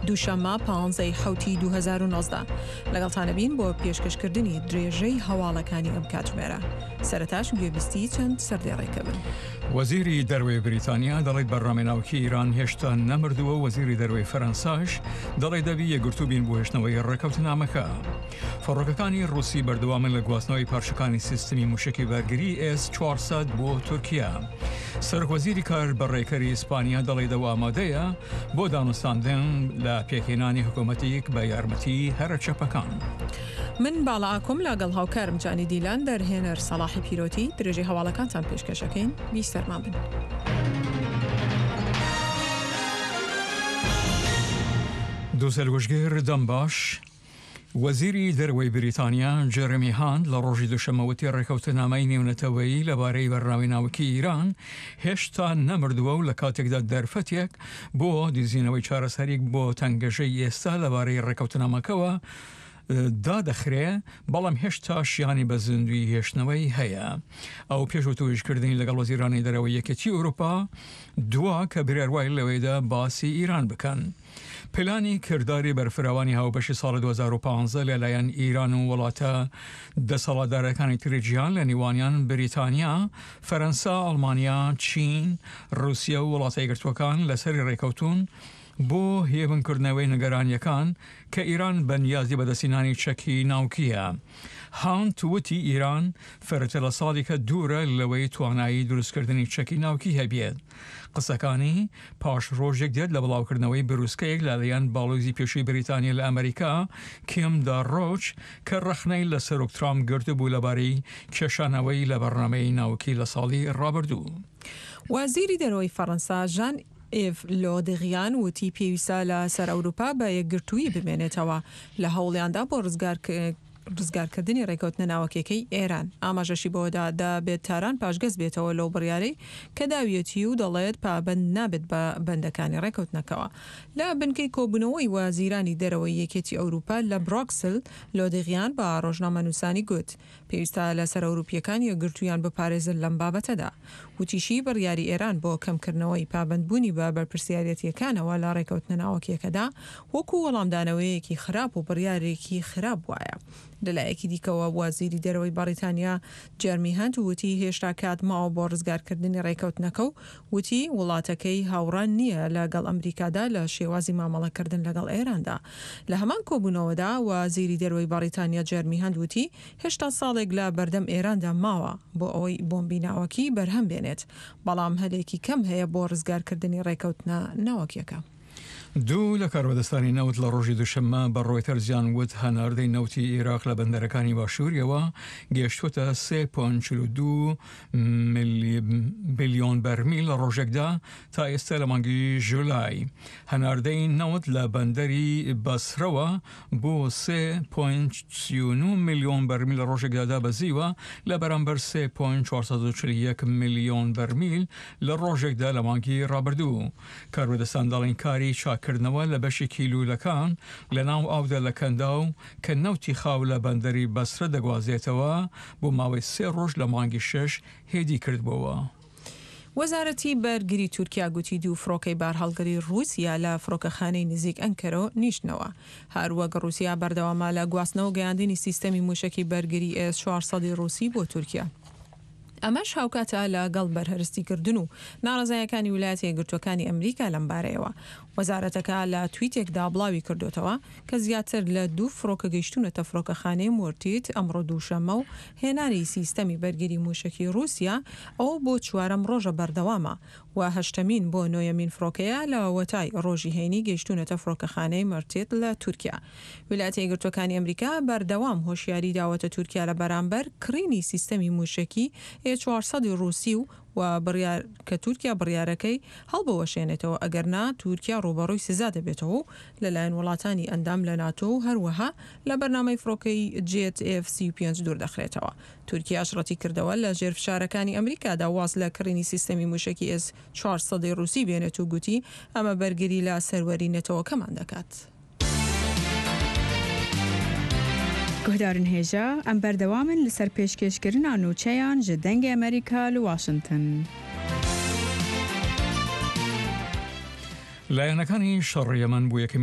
دووشەممە پانزەی حەوتی 2019 لەگەڵتان ئەبین بۆ پێشکەشکردنی درێژەی هەواڵەکانی ئەم کاتژمێرە. سەرەتاش گوێبیستی چەند سەردێڕێکە بن. وەزیری دەروەی بریتانیا دەڵێت بەرنامەی ناوکی ئیران هێشتا نەمردووە و وەزیری دەروەی فەرەنساش دەڵێت دەبی یەکگرتوو بین بۆ هێشتنەوەی ڕێکەوتنامەکە. فڕۆکەکانی ڕووسی بەردەوامن لە گواستنەوەی پارچەکانی سیستمی موشەکی بەرگری ئێس 400 بۆ تورکیا. سەرۆکوەزیری کار بەڕێکەری ئیسپانیا دەڵێت ئەو ئامادەیە بۆ دانوستاندن لە پێکهێنانی حکوومەتیک بە یارمەتی هەرە چەپەکان. من باڵا ئاکۆم لاگەڵ هاوکارم جانی دیلان دەرهێنەر سەڵاحی پیرۆتی درێژەی هەواڵەکانتان پێشکەش ئەکەین بیسەرمان بن. دووسەرگوشگر دەم باش. وەزیری دەرەوەی بریتانیا جێرێمی هانت لە ڕۆژی دووشەممە وتی ڕێکەوتنامەی نێونەتەوەیی لەبارەی بەرنامەی ناوکی ئیران هێشتا نەمردووە و لە کاتێکدا دەرفەتێک بۆ دیزینەوەی چارەسەریک بۆ تەنگەژەی ئێستا لەبارەی ڕێکەوتنامەکەوە دادەخرێ بەڵام هێشتا شیانی بە زیندووی هێشتنەوەی هەیە. ئەو پێش وتووێژکردنی لەگەڵ وەزیرانی دەرەوەی یەکێتی ئەوروپا دوا کە بریار وایە لەوێدا باسی ئیران بکەن. پلانی کرداری بەرفراوانی هاوبەشی ساڵی 2015 لەلایەن ئیران و وڵاتە دەسەڵاتدارەکانی تری جیهان لە نێوانیان بریتانیا، فەرەنسا، ئەڵمانیا، چین، ڕوسیا و وڵاتە یەکگرتووەکان لەسەری ڕێکەوتوون بۆ هێمنکردنەوەی نیگەرانییەکان کە ئیران بە نیازی بەدەستهێنانی چەکی ناوکییە. هانت وتی ئیران فرەتر لە ساڵیکە دوورە لەوەی توانایی دروستکردنی چەکی ناوکی هەبێت. قسەکانی پاش ڕۆژێک دێت لە بڵاوکردنەوەی بروسکەیەک لەلایەن باڵۆزی پێشووی بریتانیا لە ئەمریکا کیم دارۆچ کە ڕەخنەی لە سەرۆک ترامپ گرتبوو لەبارەی کێشانەوەی لە بەرنامەی ناوکی لە ساڵی ڕابردوو. وەزیری دەرەوەی فەڕەنسا ژان ئیڤ لۆدغیان وتی پێویستە لە سەر ئەوروپا بە یەکگرتوویی بمێنێتەوە لە هەوڵیاندا بۆ ڕزگارکردنی ڕێکەوتنە ناوەکیەکەی ئێران. ئاماژەشی بەوەدا دەبێت تاران پاشگەز بێتەوە لەو بڕیارەی کە داویەتی و دەڵێت پابەند نابێت بە بەندەکانی ڕێکەوتنەکەوە. لە بنکەی کۆبوونەوەی وەزیرانی دەرەوەی یەکێتی ئەوروپا لە برۆکسل، لۆدغیان بە ڕۆژنامەنووسانی گوت، پێویستە لەسەر ئەوروپییەکان یەکگرتوویان بپارێزن لەم بابەتەدا. وتیشی، بڕیاری ئێران بۆ کەمکردنەوەی پابەندبوونی بە بەرپرسیارێتییەکانەوە لە ڕێکەوتنە ناوەکییەکەدا، وەکو وەڵامدانەوەیەکی خراپ و بڕیارێکی خراپ وایە. لەلایەکی دیکەوە وەزیری دەرەوەی بەڕیتانیا جێرمی هەنت وتی هێشتا کات ماوە بۆ ڕزگارکردنی ڕێکەوتنەکە و وتی وڵاتەکەی هاوڕا نییە لە گەڵ ئەمریکادا لە شێوازی مامەڵەکردن لەگەڵ ئێراندا. لە هەمان کۆبوونەوەدا وەزیری دەرەوەی بەڕیتانیا جێرمی هەنت وتی هێشتا ساڵێک لە بەردەم ئێراندا ماوە بۆ ئەوەی بۆمبی ناوەکی بەرهەم بێنێت، بەڵام هەلێکی کەم هەیە بۆ ڕزگارکردنی ڕێکەوتنە ناوەکیەکە. دوو لە کاربەدەستانی نەوت لە ڕۆژی دووشەممە بە ڕۆیتەرزیان وت هەناردەی نەوتی ئێراق لە بەندەرەکانی باشووریەوە گەیشتووەتە 3.42 بلیۆن بەرمیل لە ڕۆژێکدا تا ئێستا لە مانگی ژولای. هەناردەی نەوت لە بەندەری بەسرەوە بۆ 3.39 ملیۆن بەرمیل لە ڕۆژێکدا دابەزیوە لە بەرامبەر 3.441 ملیۆن بەرمیل لە ڕۆژێکدا لە مانگی ڕابردوو. کاربەدەستان دەڵێن کاری چاککردنەوە لە بەشێکی لوولەکان لە ناو ئاودا لە کەنداو کە نەوتی خاو لە بەندەری بەسرە دەگوازێتەوە بۆ ماوەی سێ ڕۆژ لە مانگی شەش هێدی کردبۆوە. وەزارەتی بەرگری تورکیا گوتی دوو فڕۆکەی بارهەڵگری ڕووسیا لە فڕۆکەخانەی نزیک ئەنکەرە نیشتنەوە. هەروەک ڕووسیا بەردەوامە لە گواستنەوە گەیاندنی سیستەمی مووشەکی بەرگری ئێس 400 ی ڕووسی بۆ تورکیا. ئەمەش هاوکاتە لە گەڵ بەرهەرستیکردن و ناڕەزایەکانی ویلایەتە یەکگرتووەکانی ئەمریکا لەم بارەیەوە. وەزارەتەکە لە تویتێکدا بڵاوی کردۆتەوە کە زیاتر لە دوو فڕۆکە گەیشتوونەتە فڕۆکەخانەی مۆرتیت ئەمڕۆ دووشەممە و هێنانی سیستەمی بەرگری مووشەکی ڕووسیا ئەوە بۆ چوارەم ڕۆژە بەردەوامە و هەشتەمین بۆ نۆیەمین فڕۆکەیە لە وەتای ڕۆژی هەینی گەیشتوونەتە فڕۆکەخانەی مەرتیت لە تورکیا. ویلایەتە یەکگرتووەکانی ئەمریکا بەردەوام هۆشیاری داوەتە تورکیا لە بەرامبەر کڕینی سیستەمی مووشەکی ئێ 400 ی ڕووسی و و بڕیار کە تورکیا بڕیارەکەی هەڵبوەشێنێتەوە ئەگەر نا تورکیا ڕووبەڕووی سزا دەبێتەوە و لەلایەن وڵاتانی ئەندام لە ناتۆ و هەروەها لە بەرنامەی فڕۆکەی جێت ئێف 35 دوور دەخرێتەوە. تورکیاش ڕەتیکردەوە لە ژێر فشارەکانی ئەمریکادا واز لە کڕینی سیستەمی مووشەکی ئێس 400 ی ڕووسی بێنێت و گوتی ئەمە بەرگری لە سەروەری نەتەوەکەمان دەکات. Guhdarên hêja, em berdewam in li ser pêşkêşkirina nûçeyan ji Dengê Amerîka li Washington. لایەنەکانی شەڕی یەمەن بۆ یەکەمین.